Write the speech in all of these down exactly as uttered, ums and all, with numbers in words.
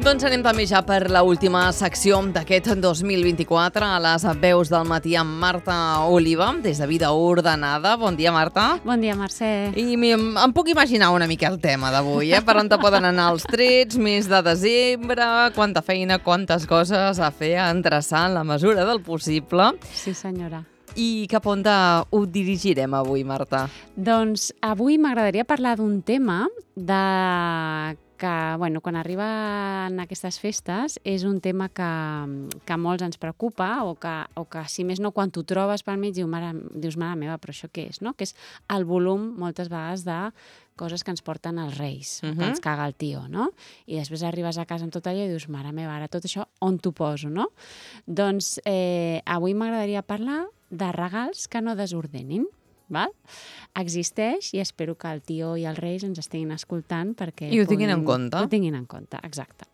Doncs anem també ja per l'última secció d'aquest dos mil vint-i-quatre, a les veus del matí amb Marta Oliva, des de Vida Ordenada. Bon dia, Marta. Bon dia, Mercè. I em, em puc imaginar una mica el tema d'avui, eh? Per on te poden anar els trets, mes de desembre, quanta feina, quantes coses a fer, a endreçar en la mesura del possible. Sí, senyora. I cap on ho dirigirem avui, Marta? Doncs avui m'agradaria parlar d'un tema de que, bueno, quan arriben aquestes festes és un tema que, que molts ens preocupa o que, o que, si més no, quan t'ho trobes pel mig dius, mare, dius, mare meva, però això què és, no? Que és el volum, moltes vegades, de coses que ens porten els Reis, uh -huh. que ens caga el tio, no? I després arribes a casa amb tot allò i dius, mare meva, ara tot això on t'ho poso, no? Doncs eh, avui m'agradaria parlar de regals que no desordenin. Val? Existeix i espero que el tio i els Reis ens estiguin escoltant perquè... I ho tinguin en compte. Ho tinguin en compte, exacte.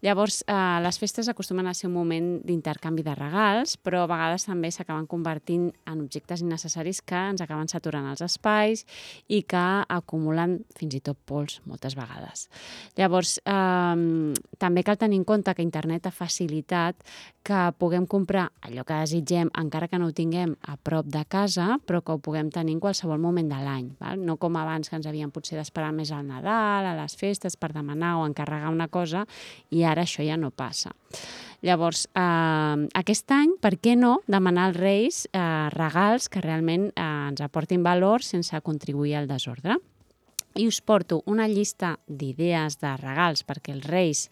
Llavors, eh, les festes acostumen a ser un moment d'intercanvi de regals, però a vegades també s'acaben convertint en objectes innecessaris que ens acaben saturant els espais i que acumulen fins i tot pols moltes vegades. Llavors, eh, també cal tenir en compte que internet ha facilitat que puguem comprar allò que desitgem, encara que no ho tinguem a prop de casa, però que ho puguem tenir en qualsevol moment de l'any. Val? No com abans, que ens havíem potser d'esperar més al Nadal, a les festes, per demanar o encarregar una cosa, i ara això ja no passa. Llavors, eh, aquest any, per què no demanar als Reis eh, regals que realment eh, ens aportin valor sense contribuir al desordre? I us porto una llista d'idees de regals perquè els Reis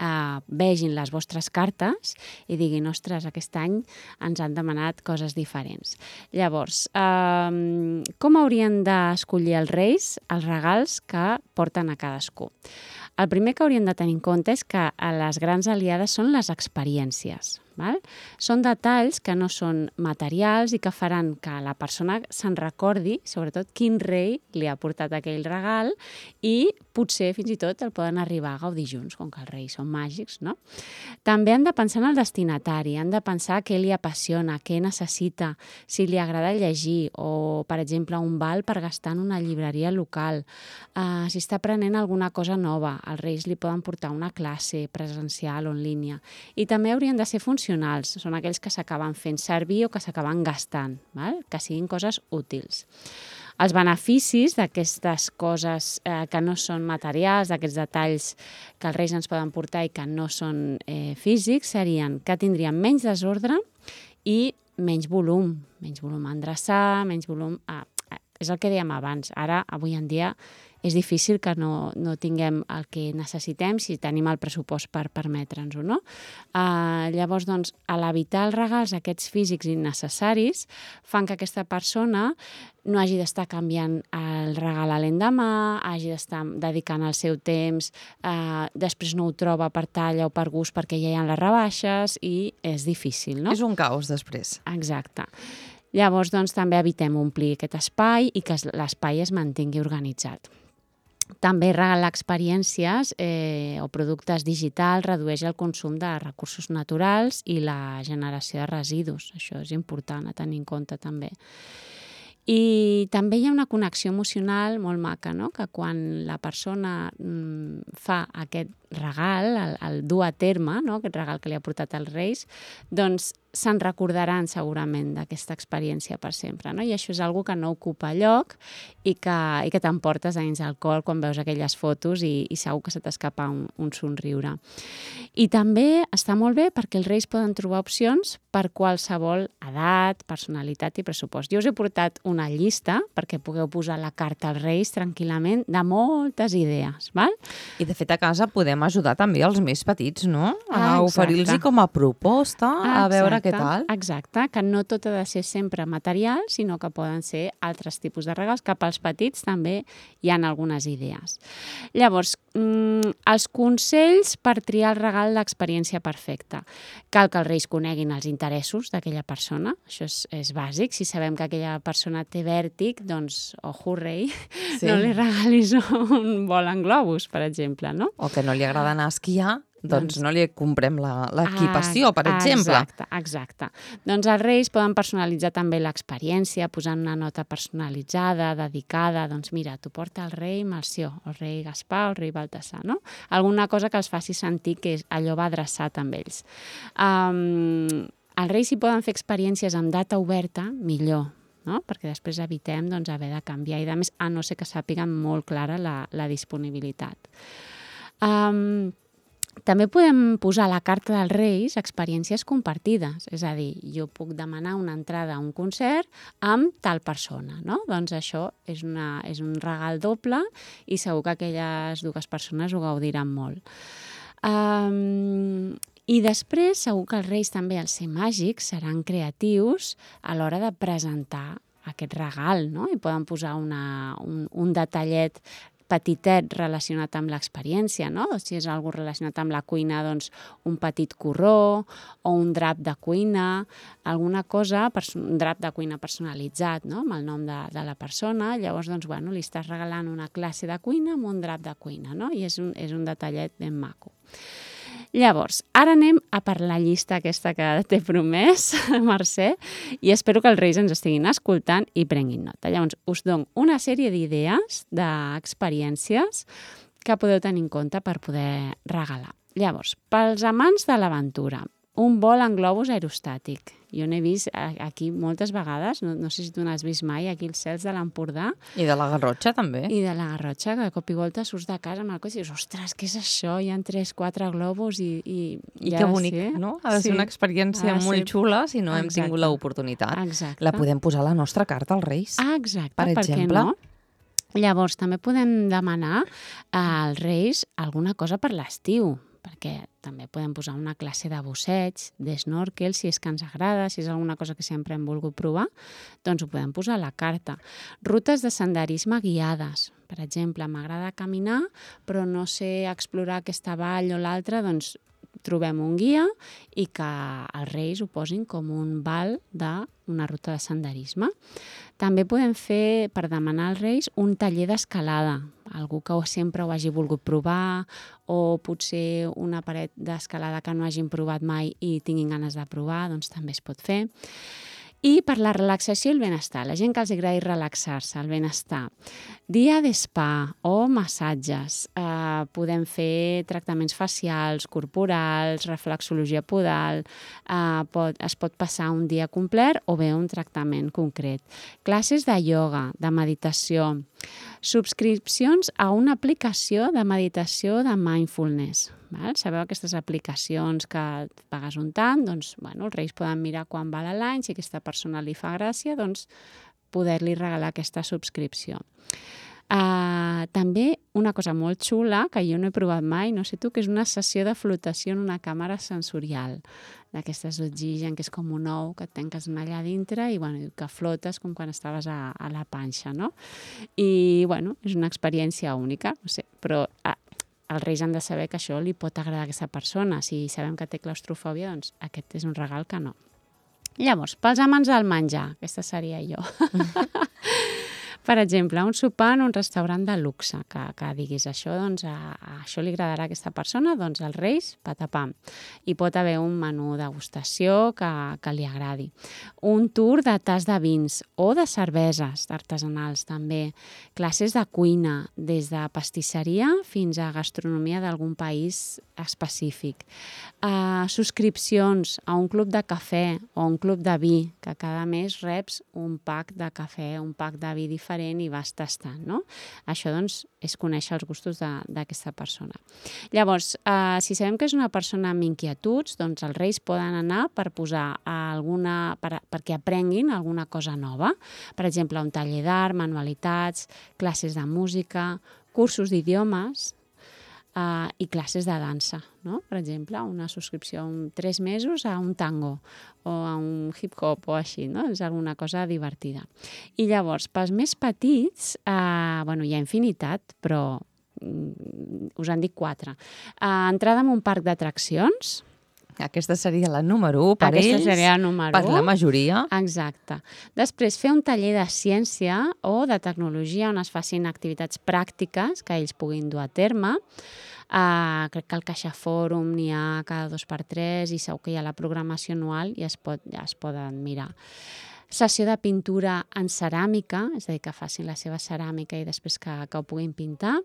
eh, vegin les vostres cartes i diguin, ostres, aquest any ens han demanat coses diferents. Llavors, eh, com haurien d'escollir els Reis els regals que porten a cadascú? El primer que hauríem de tenir en compte és que les grans aliades són les experiències. Val? Són detalls que no són materials i que faran que la persona se'n recordi, sobretot, quin rei li ha portat aquell regal i potser fins i tot el poden arribar a gaudir junts, com que els reis són màgics, no? També han de pensar en el destinatari, han de pensar què li apassiona, què necessita, si li agrada llegir o, per exemple, un val per gastar en una llibreria local, uh, si està aprenent alguna cosa nova, els reis li poden portar una classe presencial o en línia. I també haurien de ser funcionals, són aquells que s'acaben fent servir o que s'acaben gastant, val? Que siguin coses útils. Els beneficis d'aquestes coses eh, que no són materials, d'aquests detalls que els Reis ens poden portar i que no són eh, físics, serien que tindrien menys desordre i menys volum, menys volum a endreçar, menys volum a... És el que dèiem abans. Ara, avui en dia, és difícil que no, no tinguem el que necessitem si tenim el pressupost per permetre'ns-ho, no? Uh, llavors, doncs, a l'evitar els regals aquests físics innecessaris fan que aquesta persona no hagi d'estar canviant el regal a l'endemà, hagi d'estar dedicant el seu temps, uh, després no ho troba per talla o per gust perquè ja hi ha les rebaixes i és difícil, no? És un caos després. Exacte. Llavors, doncs, també evitem omplir aquest espai i que l'espai es mantingui organitzat. També regalar experiències eh, o productes digitals redueix el consum de recursos naturals i la generació de residus. Això és important a tenir en compte també. I també hi ha una connexió emocional molt maca, no? Que quan la persona mm, fa aquest regal, el, el dur a terme, no? Aquest regal que li ha portat als Reis, doncs se'n recordaran segurament d'aquesta experiència per sempre, no? I això és una cosa que no ocupa lloc i que, i que t'emportes a dins el cor quan veus aquelles fotos i, i segur que se t'escapa un, un somriure. I també està molt bé perquè els Reis poden trobar opcions per qualsevol edat, personalitat i pressupost. Jo us he portat una llista perquè pugueu posar la carta als Reis tranquil·lament de moltes idees, val? I de fet a casa podem ajudar també els més petits, no? A Ah, oferir-los com a proposta, a Exacte, veure què tal. Exacte, que no tot ha de ser sempre material, sinó que poden ser altres tipus de regals, que pels petits també hi ha algunes idees. Llavors, mm, els consells per triar el regal d'experiència perfecta. Cal que els Reis coneguin els interessos d'aquella persona, això és, és bàsic. Si sabem que aquella persona té vèrtic, doncs, ojo, rei, Sí. no li regalis un vol en globus, per exemple, no? O que no li agrada anar a esquiar Doncs no li comprem l'equipació, per exemple. Exacte, exacte. Doncs els Reis poden personalitzar també l'experiència, posant una nota personalitzada, dedicada. Doncs mira, t'ho porta el rei Melcior, el rei Gaspar, el rei Baltasar, no? Alguna cosa que els faci sentir que allò va adreçat amb ells. Um, els Reis, si poden fer experiències amb data oberta, millor, no? Perquè després evitem doncs, haver de canviar i de més, a no ser que sàpiguen molt clara la, la disponibilitat. Um, També podem posar a la carta dels Reis experiències compartides. És a dir, jo puc demanar una entrada a un concert amb tal persona, no? Doncs això és, una, és un regal doble i segur que aquelles dues persones ho gaudiran molt. Um, I després, segur que els Reis també, al ser màgics, seran creatius a l'hora de presentar aquest regal, no? I poden posar una, un, un detallet petitet relacionat amb l'experiència, no? Si és algo relacionat amb la cuina, doncs un petit corró o un drap de cuina, alguna cosa, un drap de cuina personalitzat, no? Amb el nom de, de la persona. Llavors, doncs, bueno, li estàs regalant una classe de cuina amb un drap de cuina, no? I és un, és un detallet ben maco. Llavors, ara anem a per la llista aquesta que t'he promès, Mercè, i espero que els Reis ens estiguin escoltant i prenguin nota. Llavors, us dono una sèrie d'idees, d'experiències que podeu tenir en compte per poder regalar. Llavors, pels amants de l'aventura, un vol en globus aerostàtic. Jo n'he vist aquí moltes vegades, no, no sé si tu n'has vist mai, aquí als cels de l'Empordà. I de la Garrotxa, també. I de la Garrotxa, que de cop i volta surts de casa amb el cotxe i dius, ostres, què és això? Hi ha tres, quatre globus i... I, I que bonic, sí. No? Ha de ser sí. una experiència molt ser... xula si no exacte. Hem tingut l'oportunitat. Exacte. La podem posar a la nostra carta als Reis. Ah, exacte, per, per exemple. Què no? Llavors, també podem demanar als Reis alguna cosa per l'estiu, perquè també podem posar una classe de busseig, d'snorkel, si és que ens agrada, si és alguna cosa que sempre hem volgut provar, doncs ho podem posar a la carta. Rutes de senderisme guiades. Per exemple, m'agrada caminar, però no sé explorar aquesta vall o l'altra, doncs trobem un guia i que els Reis ho posin com un val d'una ruta de senderisme. També podem fer, per demanar als Reis, un taller d'escalada. Algú que sempre ho hagi volgut provar o potser una paret d'escalada que no hagin provat mai i tinguin ganes de provar, doncs també es pot fer. I per la relaxació i el benestar, la gent que els agradi relaxar-se, el benestar. Dia de spa o massatges. Eh, podem fer tractaments facials, corporals, reflexologia podal. Eh, pot, es pot passar un dia complet o bé un tractament concret. Classes de ioga, de meditació. Subscripcions a una aplicació de meditació de mindfulness. Val? Sabeu aquestes aplicacions que pagues un tant, doncs bueno, els Reis poden mirar quan val l'any, si aquesta persona li fa gràcia, doncs poder-li regalar aquesta subscripció. Uh, també una cosa molt xula, que jo no he provat mai, no sé tu, que és una sessió de flotació en una càmera sensorial, d'aquestes d'oxigen, que és com un ou, que et tanques allà dintre i bueno, que flotes com quan estaves a, a la panxa, no? I bueno, és una experiència única, no sé, però uh, els Reis han de saber que això li pot agradar a aquesta persona. Si sabem que té claustrofòbia, doncs aquest és un regal que no. Llavors, pels amants del menjar, aquesta seria jo. Per exemple, un sopar en un restaurant de luxe, que, que diguis això, doncs, a, a això li agradarà a aquesta persona, doncs els Reis, patapam. I pot haver un menú degustació que, que li agradi. Un tour de tas de vins o de cerveses artesanals, també. Classes de cuina, des de pastisseria fins a gastronomia d'algun país específic. Uh, subscripcions a un club de cafè o un club de vi, que cada mes reps un pack de cafè, un pack de vi diferent i vas tastant, no? Això, doncs, és conèixer els gustos d'aquesta persona. Llavors, eh, si sabem que és una persona amb inquietuds, doncs els Reis poden anar per posar alguna, per, perquè aprenguin alguna cosa nova. Per exemple, un taller d'art, manualitats, classes de música, cursos d'idiomes, Uh, i classes de dansa, no? Per exemple, una subscripció en tres mesos a un tango o a un hip-hop o així, no? És alguna cosa divertida. I llavors, pels més petits, uh, bueno, hi ha infinitat, però um, us han dit quatre. Uh, entrada en un parc d'atraccions. Aquesta seria la número u per Aquesta ells, seria la número per la majoria. Exacte. Després, fer un taller de ciència o de tecnologia on es facin activitats pràctiques que ells puguin dur a terme. Uh, crec que al Caixa Fòrum n'hi ha cada dos per tres i segur que hi ha la programació anual i es, pot, ja es poden mirar. Sessió de pintura en ceràmica, és a dir, que facin la seva ceràmica i després que, que ho puguin pintar.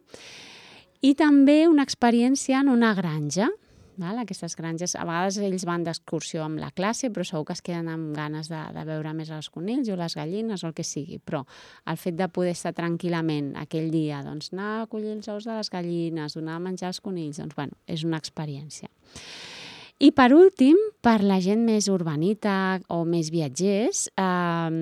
I també una experiència en una granja. Val? Aquestes granges, a vegades ells van d'excursió amb la classe, però segur que es queden amb ganes de, de veure més els conills o les gallines o el que sigui. Però el fet de poder estar tranquil·lament aquell dia, doncs anar a collir els ous de les gallines, donar a menjar els conills, doncs bueno, és una experiència. I per últim, per la gent més urbanita o més viatgers, eh,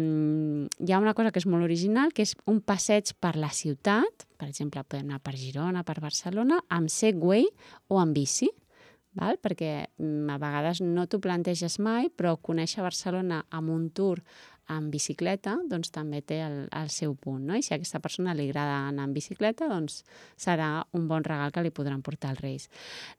hi ha una cosa que és molt original, que és un passeig per la ciutat. Per exemple, podem anar per Girona, per Barcelona, amb Segway o amb bici. Val? Perquè a vegades no t'ho planteges mai, però conèixer Barcelona amb un tour en bicicleta doncs també té el, el seu punt, no? I si a aquesta persona li agrada anar en bicicleta, doncs serà un bon regal que li podran portar els Reis.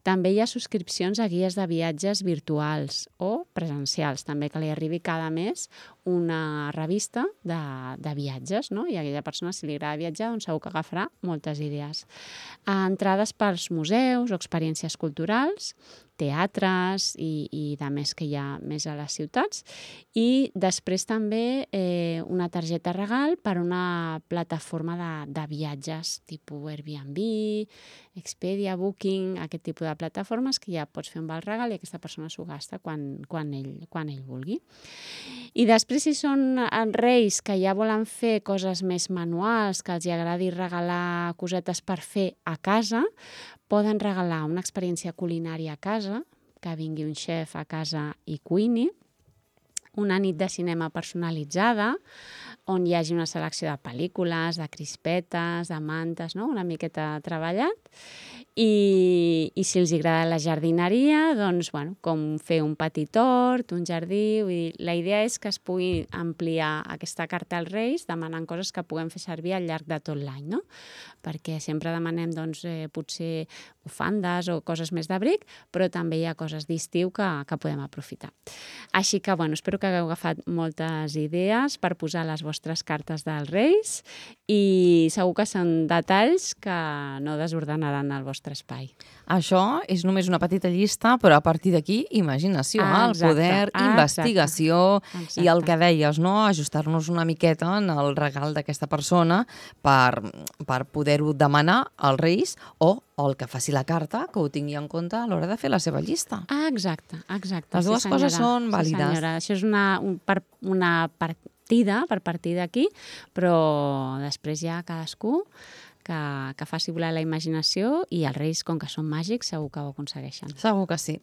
També hi ha subscripcions a guies de viatges virtuals o presencials, també que li arribi cada mes una revista de, de viatges, no? I a aquella persona, si li agrada viatjar, doncs segur que agafarà moltes idees. Entrades pels museus o experiències culturals, teatres i, i de més que hi ha més a les ciutats. I després també eh, una targeta regal per una plataforma de, de viatges tipus Airbnb, Expedia, Booking, aquest tipus de plataformes que ja pots fer un val regal i aquesta persona s'ho gasta quan, quan, ell, quan ell vulgui. I després, si són reis que ja volen fer coses més manuals, que els agradi regalar cosetes per fer a casa, poden regalar una experiència culinària a casa, que vingui un xef a casa i cuini, una nit de cinema personalitzada, on hi hagi una selecció de pel·lícules, de crispetes, de mantes, no? Una miqueta treballat. I, i si els agrada la jardineria, doncs, bueno, com fer un petit hort, un jardí. Vull dir, la idea és que es pugui ampliar aquesta carta als Reis demanant coses que puguem fer servir al llarg de tot l'any, no? Perquè sempre demanem, doncs, eh, potser bufandes o coses més d'abric, però també hi ha coses d'estiu que, que podem aprofitar. Així que, bueno, espero que hagueu agafat moltes idees per posar les vostres cartes dels Reis i segur que són detalls que no desordenaran el vostre espai. Això és només una petita llista, però a partir d'aquí, imaginació, ah, el poder, ah, investigació exacte. I el que deies, no? Ajustar-nos una miqueta en el regal d'aquesta persona per, per poder-ho demanar als Reis o, o el que faci la carta, que ho tingui en compte a l'hora de fer la seva llista. Ah, exacte, exacte. Les dues sí, coses són sí, vàlides. Senyora. Això és una, un, per, una partida, per partir d'aquí, però després ja cadascú que, que faci volar la imaginació i els Reis, com que són màgics, segur que ho aconsegueixen. Segur que sí.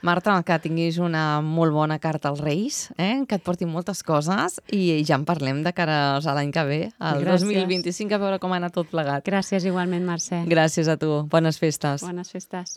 Marta, que tinguis una molt bona carta als Reis, eh? Que et portin moltes coses i ja en parlem de cara a l'any que ve, el Gràcies. dos mil vint-i-cinc, a veure com ha anat tot plegat. Gràcies igualment, Mercè. Gràcies a tu. Bones festes. Bones festes.